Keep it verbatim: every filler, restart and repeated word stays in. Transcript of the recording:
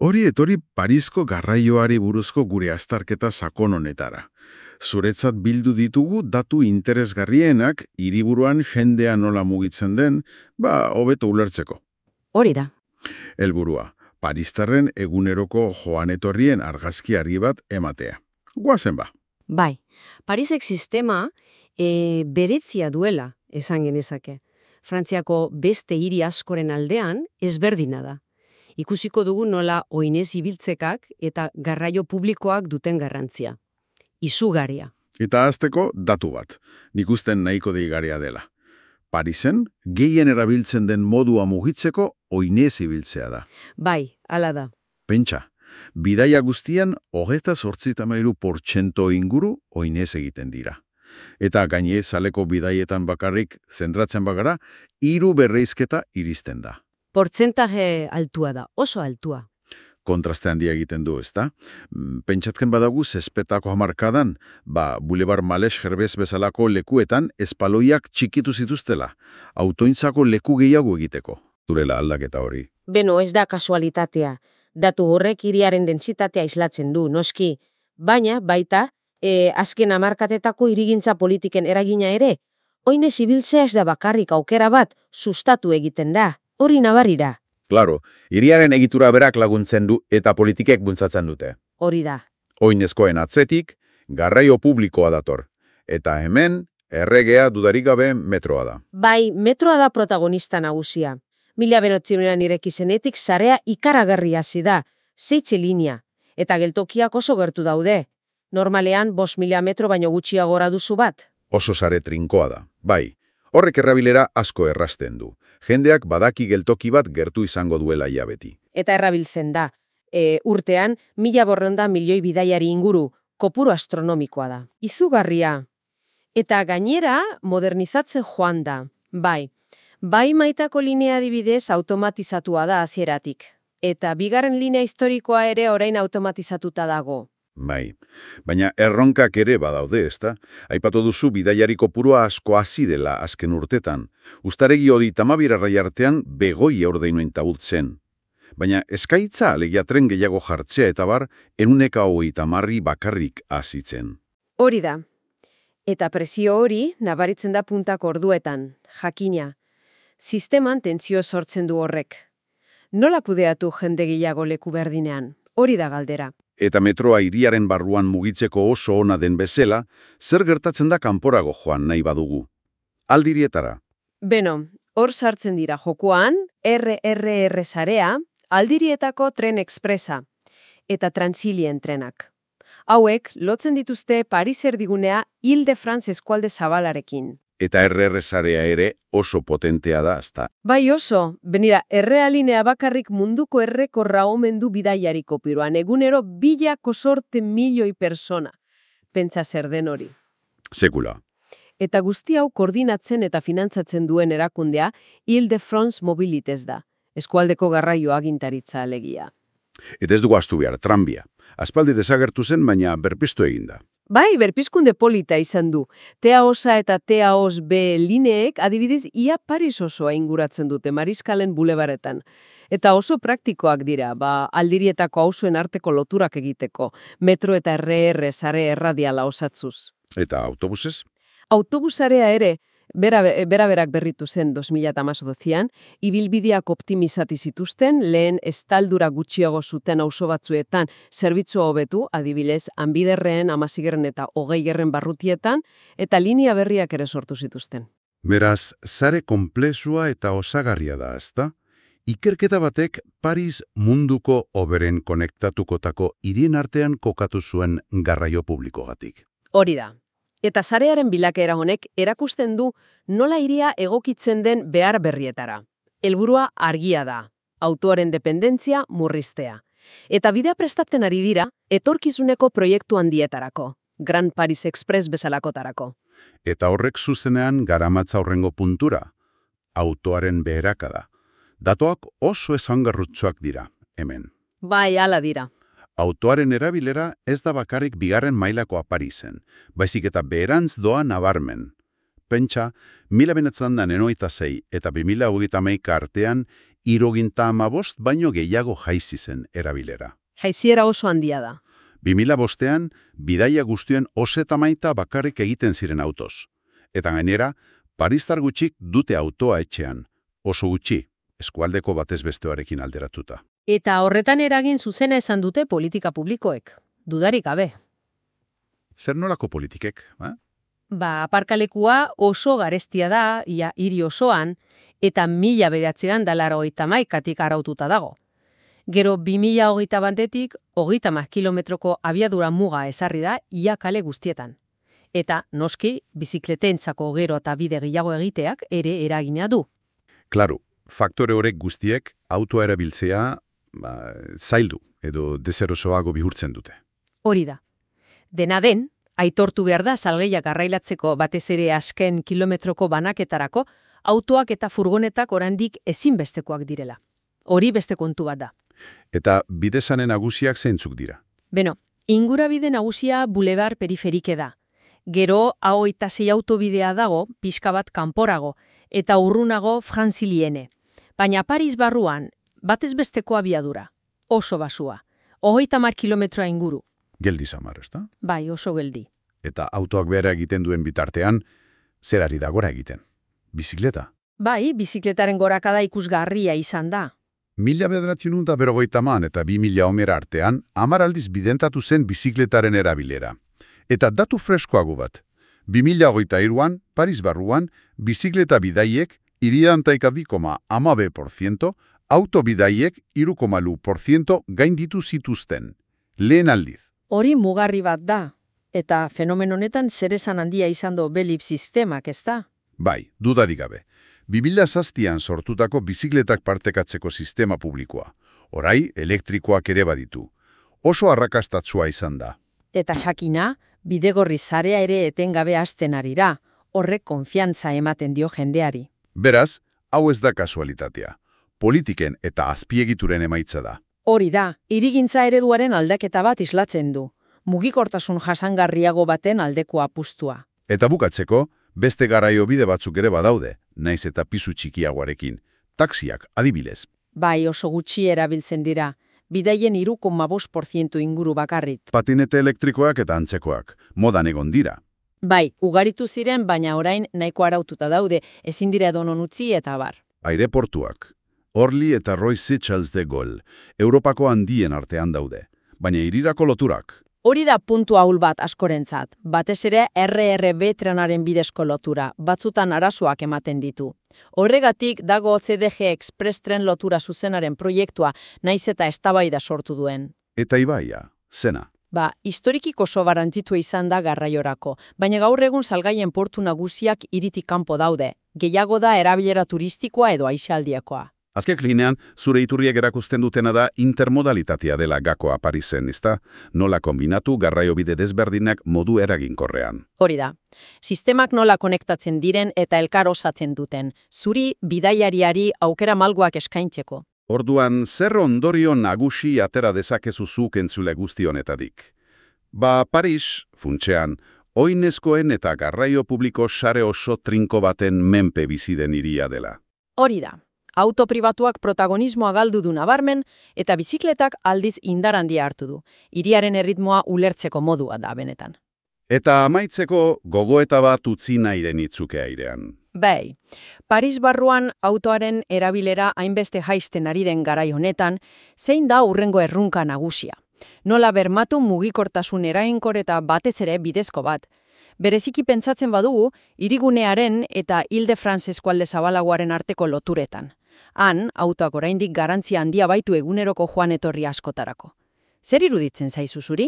Hori etori Parisko garraioari buruzko gure azterketa sakon honetara. Zuretzat bildu ditugu datu interesgarrienak hiriburuan jendea nola mugitzen den, ba, hobeto ulertzeko. Hori da. Helburua, Paristarren eguneroko joan etorrien argazkiari bat ematea. Goazen ba. Bai, Parisek sistema e, beretzia duela, esan genezake. Frantziako beste hiri askoren aldean ezberdina da. Ikusiko dugu nola oinez ibiltzekak eta garraio publikoak duten garrantzia. Izugarria. Eta hasteko datu bat, nik usten nahiko deigarria dela. Parisen, gehien erabiltzen den modua mugitzeko oinez ibiltzea da. Bai, hala da. Pentsa, bidaia guztian hogeita zortzita mairu portxento inguru oinez egiten dira. Eta gaine zaleko bidaietan bakarrik zentratzen bagara, hiru berreizketa iristen da. Portzentaje altua da, oso altua. Kontraste handia egiten du, ezta? Pentsatken badagu zespetako hamarkadan, ba, Boulevard Maleshe Herbez bezalako lekuetan espaloiak txikitu zituztela, autointzako leku gehiago egiteko. Durela aldaketa hori. Beno, ez da kasualitatea. Datu horrek hiriaren dentsitatea islatzen du, noski. Baina, baita, e, azken hamarkatetako hirigintza politiken eragina ere, oinez ibiltzea ez da bakarrik aukera bat, sustatu egiten da. Hori nabarira. Claro, hiriaren egitura berak laguntzen du eta politikek bultzatzen dute. Hori da. Oinezkoen atzetik, garraio publikoa dator. Eta hemen, erregea dudarik gabe metroa da. Bai, metroa da protagonista nagusia. Mila bederatziehun ireki zenetik sarea ikaragarri hasi da, zeitze linea, eta geltokiak oso gertu daude. Normalean, bost mila metro baino gutxiagora duzu bat. Oso sare trinkoa da, bai. Horrek errabilera asko errasten du. Jendeak badaki geltoki bat gertu izango duela ia beti. Eta errabiltzen da. E, urtean, mila borronda milioi bidaiari inguru, kopuru astronomikoa da. Izugarria. Eta gainera, modernizatzen joan da. Bai, bai maitako linea adibidez automatizatua da hasieratik. Eta bigarren linea historikoa ere orain automatizatuta dago. Bai, baina erronkak ere badaude, ezta? Aipatu duzu bidaiari kopurua asko hasi dela azken urtetan. Uztaregi hori tamabirarrai artean begoi ordeinoen tabultzen. Baina eskaitza alegia tren gehiago jartzea eta bar, enuneka hogei tamarri bakarrik hasitzen. Hori da. Eta presio hori nabaritzen da puntak orduetan, jakina. Sisteman tentsio sortzen du horrek. Nola kudeatu jende gehiago leku berdinean? Hori da galdera. Eta metroa hiriaren barruan mugitzeko oso ona den bezala, zer gertatzen da kanporago joan nahi badugu. Aldirietara. Beno, hor sartzen dira jokoan, erre erre erre sarea, aldirietako tren expresa, eta Transilien trenak. Hauek, lotzen dituzte Paris erdigunea Ile-de-France eskualde zabalarekin. Eta erre erre sarea ere oso potentea da, ezta. Bai oso, benira, errealinea bakarrik munduko errekorra omen du bidaiari kopiruan, egunero bilako sorte milioi persona. Pentsa zer den hori. Sekula. Eta guzti hau koordinatzen eta finantzatzen duen erakundea Ile-de-France Mobilites da, eskualdeko garraio agintaritza alegia. Eta ez dugu astu behar, tranbia. Aspaldi desagertu zen, baina berpiztu eginda. Bai, berpizkunde polita izan du. T A O-a eta T A O S B lineek adibidez ia Paris osoa inguratzen dute Mariskalen bulebaretan. Eta oso praktikoak dira, ba, aldirietako auzoen arteko loturak egiteko, metro eta erre erre sare erradiala osatzuz. Eta autobusez? Autobusarea ere, bera, bera berak berritu zen bi mila hemezortzian, ibilbideak optimizati zituzten, lehen estaldura gutxiago zuten auzo batzuetan zerbitzua hobetu, adibidez, Hanbiderren, Hamazigarren eta Hogeigarren barrutietan, eta linea berriak ere sortu zituzten. Beraz, sare konplexua eta osagarria da, ezta? Ikerketa batek Paris munduko hoberen konektatukotako hirien artean kokatu zuen garraio publikogatik. Hori da. Eta sarearen bilakaera honek erakusten du nola hiria egokitzen den behar berrietara. Helburua argia da, autoaren dependentzia murriztea. Eta bidea prestatzen ari dira, etorkizuneko proiektu handietarako, Grand Paris Express bezalakotarako. Eta horrek zuzenean garamatza horrengo puntura, autoaren beherakada. Datoak oso esangarrutsuak dira, hemen. Bai, hala dira. Autoaren erabilera ez da bakarrik bigarren mailakoa Parisen, baizik eta beherantz doa nabarmen. Pentsa, mila benetzan da nenoita zei eta bi mila hogeita hamaika artean hirurogeita hamabost baino gehiago jaizi zen erabilera. Jaiziera oso handia da. bi mila bostean, bidaia guztien osetamaita bakarrik egiten ziren autoz. Eta gainera, paristar gutxik dute autoa etxean, oso gutxi, eskualdeko batez bestearekin alderatuta. Eta horretan eragin zuzena esan dute politika publikoek, dudarik gabe. Zer nolako politikek, ba? Ba, aparkalekua oso garestia da, ia hiri osoan, eta mila bederatzean dalara hogeita hamaikatik araututa dago. Gero bi mila hogeita batetik, hogeita hamar kilometroko abiadura muga ezarri da ia kale guztietan. Eta, noski, bizikletentzako gero eta bide gehiago egiteak ere eragina du. Klaru, faktore horrek guztiek autoa erabiltzea ba, zaildu edo deserosoago bihurtzen dute. Hori da. Dena den, aitortu behar da salgeiak garrailatzeko batez ere azken kilometroko banaketarako, autoak eta furgonetak oraindik ezinbestekoak direla. Hori beste kontu bat da. Eta bidezane nagusiak zeintzuk dira? Beno, ingurabide nagusia bulebar periferike da. Gero, hogeita sei autobidea dago, pixka bat kanporago, eta urrunago franziliene. Baina Paris barruan, batez besteko abiadura, oso basua, hogeita hamar kilometroa inguru. Geldi samar, ezta? Bai, oso geldi. Eta autoak behera egiten duen bitartean, zer ari da gora egiten? Bizikleta? Bai, bizikletaren gorakada ikusgarria izan da. Mila bederatziehun eta berrogeita hamar eta bi mila homera artean, hamar aldiz bidentatu zen bizikletaren erabilera. Eta datu freskoago bat, bi mila hogeita hiruan, Paris barruan, bizikleta bidaiek hirurogeita bi koma hamabi porziento, auto bidaiek hiru koma lau porziento gainditu zituzten. Lehen aldiz. Hori mugarri bat da, eta fenomen honetan zer esan handia izan do belip sistemak, ez da? Bai, dudarik gabe. bi mila zazpian sortutako bizikletak partekatzeko sistema publikoa. Orai, elektrikoak ere baditu. Oso arrakastatsua izan da. Eta sakina, bidegorri zarea ere etengabe hasten arira, horrek konfiantza ematen dio jendeari. Beraz, hau ez da kasualitatea. Politiken eta azpiegituren emaitza da. Hori da, hirigintza ereduaren aldaketa bat islatzen du. Mugikortasun jasangarriago baten aldeko apustua. Eta bukatzeko, beste garaio bide batzuk ere badaude, naiz eta pisu txikiagoarekin. Taxiak, adibidez. Bai, oso gutxi erabiltzen dira. Bidaien hiru koma bost porziento inguru bakarrit. Patinete elektrikoak eta antzekoak, modan egon dira. Bai, ugaritu ziren, baina orain nahiko araututa daude, ezin dira edonon utzi eta bar. Aireportuak. Orly eta Roy Seychelles de Gaulle, Europako handien artean daude, baina hirirako loturak. Hori da puntu ahul bat askorentzat, batez ere erre erre be trenaren bidezko lotura, batzutan arazoak ematen ditu. Horregatik dago ce de ge Express tren lotura zuzenaren proiektua naiz eta eztabaida sortu duen. Eta ibaia, zena. Ba, historikik oso garrantzitsua izan da garraiorako, baina gaur egun salgaien portu nagusiak hiritik kanpo daude, gehiago da erabilera turistikoa edo aisialdiakoa. Azken linean, zure iturriek erakusten dutena da intermodalitatea dela gakoa Parisen, ezta? Nola kombinatu garraiobide desberdinak modu eraginkorrean. Hori da. Sistemak nola konektatzen diren eta elkar osatzen duten, zuri bidaiariari aukera malguak eskaintzeko. Orduan, zer ondorio nagusi atera dezakezu zuk entzule guzti honetatik? Ba, Paris, funtsean, oinezkoen eta garraio publiko sare oso trinko baten menpe bizi den hiria dela. Hori da. Auto pribatuak protagonismoa galdu du nabarmen eta bizikletak aldiz indar handia hartu du. Hiriaren erritmoa ulertzeko modua da benetan. Eta amaitzeko gogoeta bat utzi nahiren itzuke airean. Bai, Paris barruan autoaren erabilera hainbeste jaisten ari den garai honetan, zein da hurrengo errunka nagusia. Nola bermatu mugikortasun eraginkor eta batez ere bidezko bat. Bereziki pentsatzen badugu, hirigunearen eta Ile-de-France eskualde zabalagoaren arteko loturetan. Han, autoak oraindik garantzia handia baitu eguneroko joan etorri askotarako. Zer iruditzen zaizu zuri?